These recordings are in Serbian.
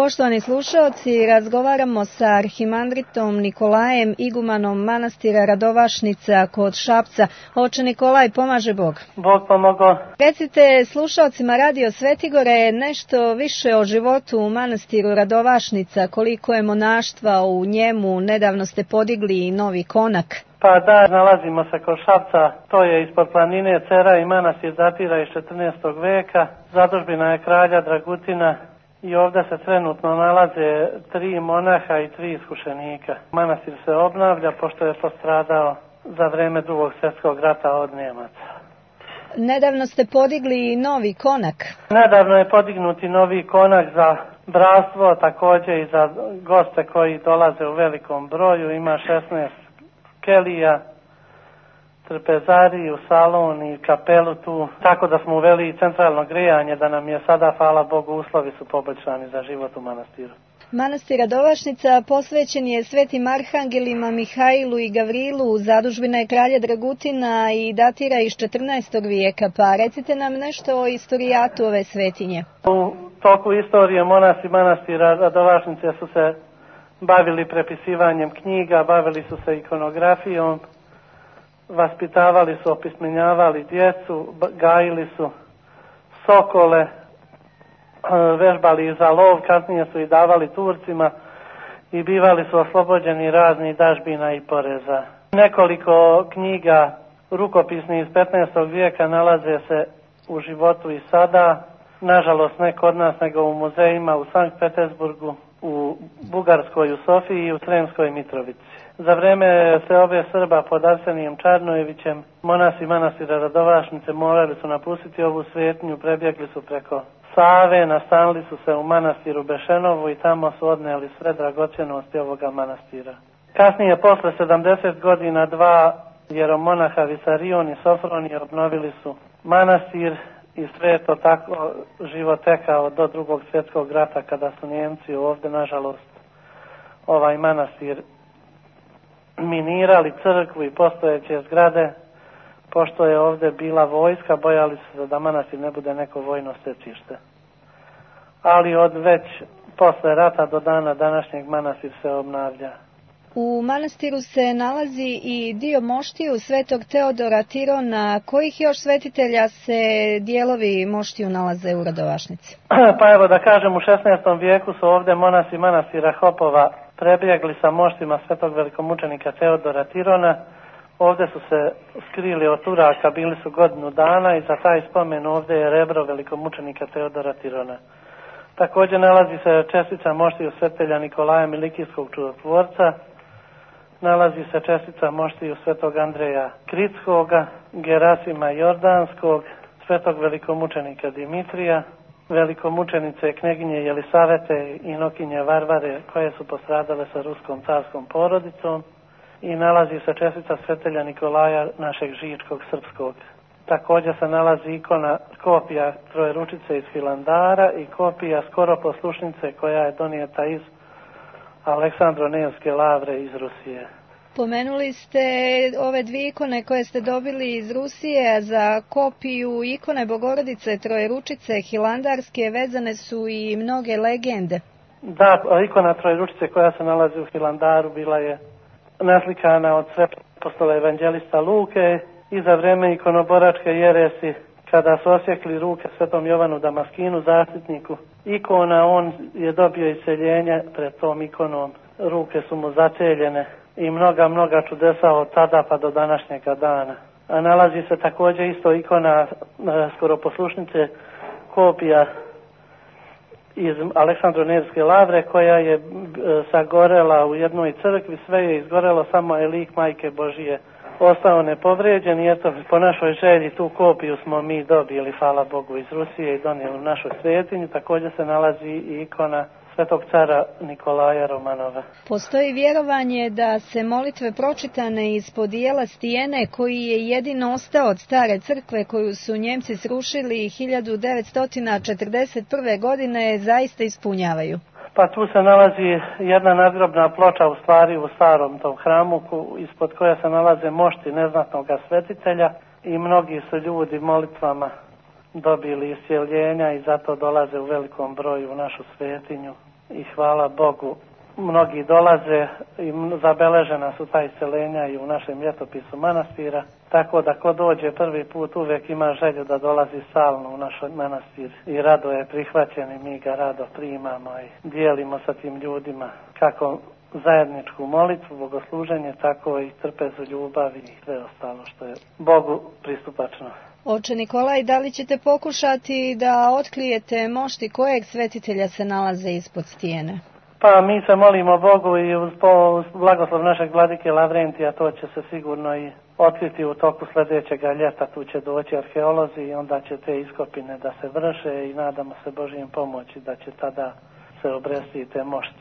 Poštovani slušaoci, razgovaramo sa arhimandritom Nikolajem, igumanom manastira Radovašnica kod Šapca. Oče Nikolaj, pomaže Bog. Bog pomogao. Recite slušaocima Radio Svetigore nešto više o životu u manastiru Radovašnica, koliko je monaštva u njemu, nedavno ste podigli novi konak. Pa da, nalazimo se kod Šapca, to je ispod planine Cera i manastir datira iz 14. veka, zadužbina je kralja Dragutina. I ovdje se trenutno nalaze 3 monaha i 3 iskušenika. Manastir se obnavlja pošto je postradao za vrijeme Drugog svjetskog rata od Njemaca. Nedavno ste podigli novi konak. Nedavno je podignuti novi konak za bratstvo, također i za goste koji dolaze u velikom broju. Ima 16 kelija, trpezariju, salon i kapelu tu. Tako da smo uveli centralno grijanje, da nam je sada, hvala Bogu, uslovi su poboljšani za život u manastiru. Manastir Radovašnica posvećen je svetim arhangelima Mihailu i Gavrilu, zadužbina je kralja Dragutina i datira iz 14. vijeka, pa recite nam nešto o istorijatu ove svetinje. U toku istorije monasi manastira Radovašnice su se bavili prepisivanjem knjiga, bavili su se ikonografijom, vaspitavali su, opismenjavali djecu, gajili su sokole, vežbali za lov, kasnije su i davali Turcima i bivali su oslobođeni raznih dažbina i poreza. Nekoliko knjiga rukopisnih iz 15. vijeka nalaze se u životu i sada, nažalost ne kod nas nego u muzejima u Sankt Petersburgu, u Bugarskoj, u Sofiji i u Sremskoj Mitrovici. Za vrijeme seobe Srba pod Arsenijem Čarnojevićem, monasi manastira Radovašnice morali su napustiti ovu svetinju, prebjegli su preko Save, nastanili su se u manastiru Bešenovu i tamo su odnijeli sve dragocjenosti ovoga manastira. Kasnije, posle 70 godina, 2 jeromonaha Visarion i Sofronije obnovili su manastir i sve je to tako život tekao do Drugog svjetskog rata, kada su Njemci ovdje, nažalost, ovaj manastir minirali, crkvu i postojeće zgrade. Pošto je ovdje bila vojska, bojali su se da manastir ne bude neko vojno stecište. Ali od već posle rata do dana današnjeg manastir se obnavlja. U manastiru se nalazi i dio moštiju svetog Teodora Tirona. Kojih još svetitelja se dijelovi moštiju nalaze u Radovašnici? Pa evo da kažem, u 16. vijeku su ovdje monasi manastira Hopova prebjegli sa moštima svetog velikomučenika Teodora Tirona. Ovdje su se skrili od Turaka, bili su godinu dana i za taj spomen ovdje je rebro velikomučenika Teodora Tirona. Također nalazi se čestica moštiju svetitelja Nikolaja Milikijskog čudotvorca, nalazi se čestica moštiju svetog Andreja Kritskoga, Gerasima Jordanskog, svetog velikomučenika Dimitrija, velikomučenice kneginje Jelisavete i Nokinje Varvare koje su postradale sa ruskom carskom porodicom i nalazi se čestica svetitelja Nikolaja našeg Žičkog srpskog. Također se nalazi ikona kopija Trojeručice iz Hilandara i kopija skoro poslušnice koja je donijeta iz Aleksandro-Nevske lavre iz Rusije. Pomenuli ste ove 2 ikone koje ste dobili iz Rusije, za kopiju ikone Bogorodice Trojeručice Hilandarske vezane su i mnoge legende. Da, ikona Trojeručice koja se nalazi u Hilandaru bila je naslikana od svetog apostola evanđelista Luke i za vrijeme ikonoboračke jeresi, kada su osjekli ruke svetom Jovanu Damaskinu, zaštitniku ikona, on je dobio iseljenje pred tom ikonom. Ruke su mu zaceljene i mnoga čudesa od tada pa do današnjega dana. A nalazi se također isto ikona skoroposlušnice, kopija iz Aleksandro-Nevske lavre koja je sagorela u jednoj crkvi, sve je izgorelo, samo je lik Majke Božije ostao nepovrijeđen i eto, po našoj želji tu kopiju smo mi dobili, hvala Bogu, iz Rusije i donijeli u našu svetinju. Također se nalazi i ikona svetog cara Nikolaja Romanova. Postoji vjerovanje da se molitve pročitane ispod dijela stijene, koji je jedino ostao od stare crkve koju su Njemci srušili 1941. godine, zaista ispunjavaju. Pa tu se nalazi jedna nadgrobna ploča, u stvari u starom tom hramu, ispod koja se nalaze mošti neznatnog svetitelja i mnogi su ljudi molitvama dobili iscjeljenja i zato dolaze u velikom broju u našu svetinju i hvala Bogu mnogi dolaze i zabeležena su ta iseljenja i u našem ljetopisu manastira, tako da ko dođe prvi put uvijek ima želju da dolazi stalno u naš manastir i rado je prihvaćen i mi ga rado primamo i dijelimo sa tim ljudima kako zajedničku molitvu, bogosluženje, tako i trpezu, ljubav i sve ostalo što je Bogu pristupačno. Oče Nikolaj, da li ćete pokušati da otkrijete mošti kojeg svetitelja se nalaze ispod stijene? Pa mi se molimo Bogu i uz blagoslov našeg vladike Lavrentija to će se sigurno i otkriti u toku sljedećeg ljeta. Tu će doći arheolozi i onda će te iskopine da se vrše i nadamo se Božijim pomoći da će tada se obresti te mošti.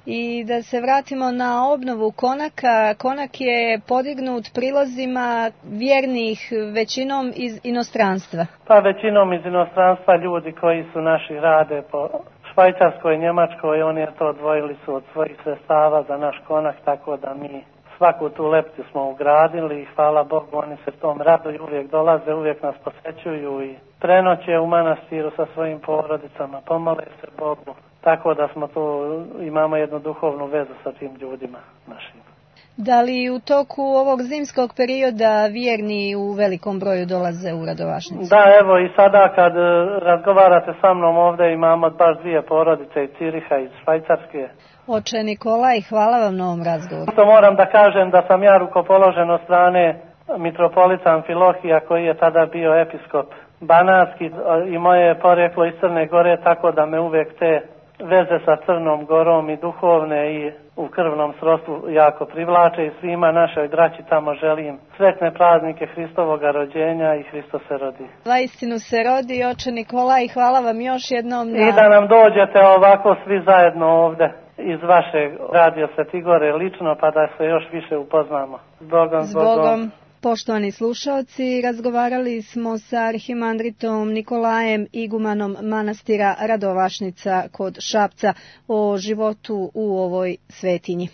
I da se vratimo na obnovu konaka. Konak je podignut prilozima vjernih većinom iz inostranstva. Pa većinom iz inostranstva ljudi koji su naši rade po Švajcarskoj, Njemačkoj, oni je to odvojili su od svojih sredstava za naš konak, tako da mi svaku tu leptu smo ugradili i hvala Bogu, oni se tom raduju, uvijek dolaze, uvijek nas posjećuju i prenoće u manastiru sa svojim porodicama, pomole se Bogu, tako da smo tu, imamo jednu duhovnu vezu sa tim ljudima našim. Da li u toku ovog zimskog perioda vjerni u velikom broju dolaze u Radovašnicu? Da, evo i sada kad razgovarate sa mnom ovdje imamo baš 2 porodice iz Ciriha, iz Švajcarske. Oče Nikolaj, hvala vam na ovom razgovoru. To moram da kažem da sam ja rukopoložen od strane mitropolita Amfilohija koji je tada bio episkop Banatski i moje je poreklo iz Crne Gore, tako da me uvijek te veze sa Crnom Gorom i duhovne i u krvnom srodstvu jako privlače i svima našoj braći tamo želim sretne praznike Hristovoga rođenja i Hristos se rodi. Vaistinu se rodi, oče Nikolaj, hvala vam još jednom. I da nam dođete ovako svi zajedno ovdje iz vašeg Radio Svetigore lično pa da se još više upoznamo. Zbogom. Poštovani slušaoci, razgovarali smo sa arhimandritom Nikolajem, igumanom manastira Radovašnica kod Šapca, o životu u ovoj svetinji.